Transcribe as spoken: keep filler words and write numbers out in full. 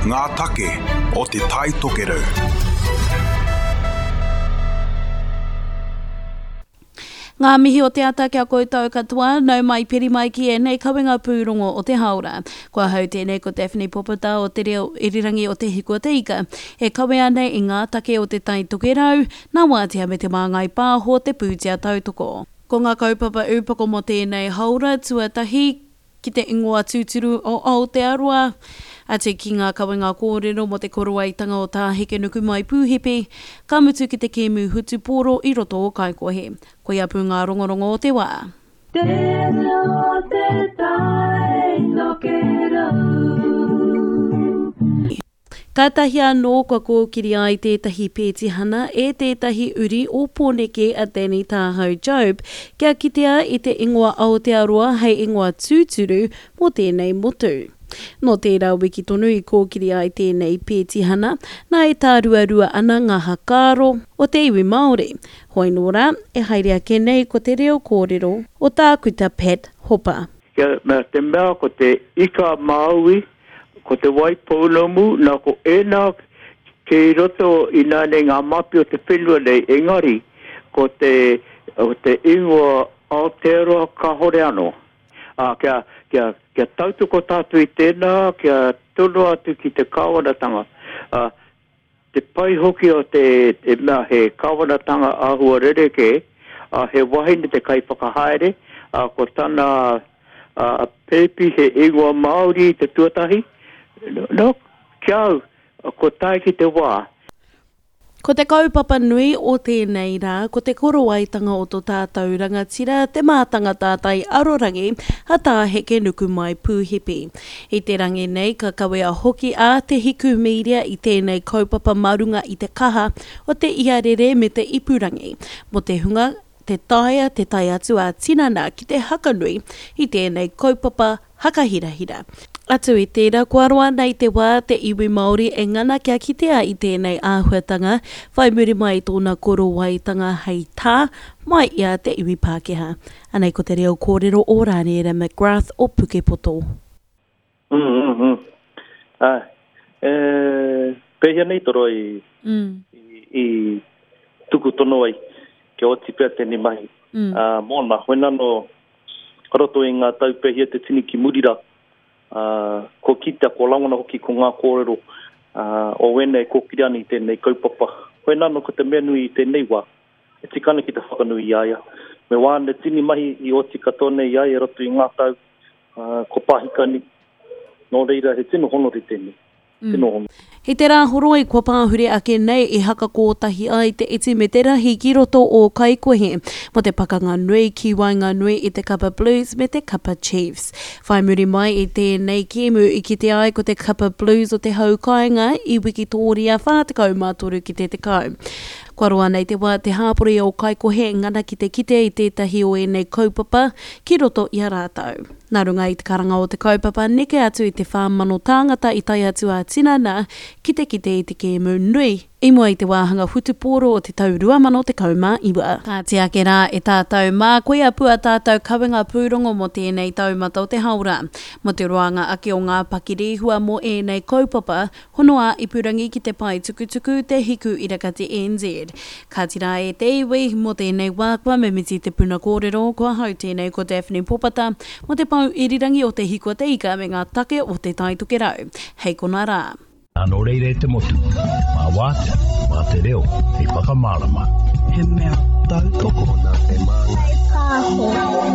Ngā take o Te Tai Tokerau. Ngā mihi o te ata kia koutou katoa, nau mai piri mai ki ēnei kawenga pūrongo o te haora. Ko ahau tēnei ko Daphne Popota o Te Reo Irirangi o Te Hiku o Te Ika, e kawea nei i ngā take o Te Tai Tokerau, nā Wātea me Te Māngai Pāho te pūtea tautoko. Ko ngā kaupapa ūpoko mō tēnei haora, tuatahi, ki te ingoa tūturu o Aotearoa, atu ki ngā kawenga kōrero mō te korowaitanga o Tā Hekenukumai Pūhipi, ka mutu ki te kēmu hutupōro i roto o Kaikohe. Koia pū ngā rongorongo o te wā. Te reo te tai tokerau. Kātahi anō kua kōkiri ai tētahi pētihana e tētahi uri o Pōneke a Danny Tāhau Job kia kitea i te ingoa Aotearoa hei ingoa tūturu mō tēnei motu. Nō tērā wiki tonu i kōkiri ai tēnei pētihana, nā e tāruarua ana ngā hakaaro o te iwi Māori. Hoi nō rā, e haere ake nei ko te reo kōrero o Tākuta Pat Hopa. Kia, me te mea ko te ika a Māui, ko te wai pounamu, nā ko ēnā kei roto ināianei ngā mapi o te whenua nei, engari ko te, ko te ingoa Aotearoa kāhore anō. Ā, kia, kia, kia tautoko tātou i tēnā, kia tono atu ki te kāwanatanga. Ā, te pai hoki o te, te mea he kāwanatanga āhua rerekē, ā, he wahine te kaiwhakahaere, ā, ko tana, A Pēpi he ingoa Māori te tuatahi? No, ki a au, kua tae ki te wā. Ko te kaupapa nui o tēnei rā, ko te korowaitanga o to tātou rangatira, te mātanga tātai arorangi, a Tā Hekenukumai Pūhipi. I te rangi nei, ka kawea hoki a Te Hiku Media i tēnei kaupapa mā runga i te kaha o te iarere me te ipurangi, mō te hunga Te taea te tae atu ā-tinana ki te hakanui i tēnei kaupapa hakahirahira. Atu i tērā, kua roa nei te wā te iwi Māori e ngana kia kitea i tēnei āhuatanga whai muri mai i tōna korowaitanga hei tā mai i a te iwi Pākehā. Anei ko te reo kōrero o Rāniera McGrath o Pukepoto. Mm, mm, mm. Āe. E, pēhea nei toro i, mm. i, i tuku tono ai kia oti pea tēnei mahi mm. uh, mōna. Hoi nano, roto i ngā tau pēhea te tini ki muri rā, uh, ko kitea, ko rangona hoki ko ngā kōrero uh, o wēnei kōkiri ana i tēnei kaupapa. Hoi nano ko te mea nui i tēnei wā, e tika ana ki te whakanui i a ia. Me wāna tini mahi i oti katoa nei i a ia roto i ngā tau, uh, ko Pāhikani. Nō reira, he tino honore tēnei. Mm. Tino honore. I te Rāhoroi kua pāhure ake nei i hakakōtahi ai te iti me te rahi ki roto o Kaikohe mō te pakanga nui ki waenganui i te kapa Blues me te kapa Chiefs. Whai muri mai i tēnei kēmu i kitea ai ko te kapa Blues o te hau kāinga i wikitōria whā tekau mā toru ki te tekau. Kua roa nei te wā te hāpori o Kaikohe e ngana ki te kite i tētahi o ēnei kaupapa ki roto i a rātou. Nā runga i te karanga o te kaupapa, neke atu i te whā mano tāngata i tae atu ā-tinana ki te kite i te kēmu nui i mua i te wāhanga whutupōro o te tau rua mano tekau mā iwa. Kāti ake rā e tātou mā, koia pū a tātou kawenga pūrongo mō tēnei taumata o te haora. Mō te roanga ake o ngā pakirehua mō ēnei kaupapa, Hono ā-ipurangi ki te pae tukutuku Te Hiku Irakati N Z. Kāti rā e te iwi, mō tēnei wā kua mimiti te puna kōrero, ko ahau tēnei ko Daphne Popata, mō te pou irirangi o Te Hiku a Te Ika me ngā take o Te Tai Tokerau. Hei kona rā. Nō reira e te motu, mā Wātea, mā te reo hei whakamārama. He mea tautoko nā Te Māngai Pāho.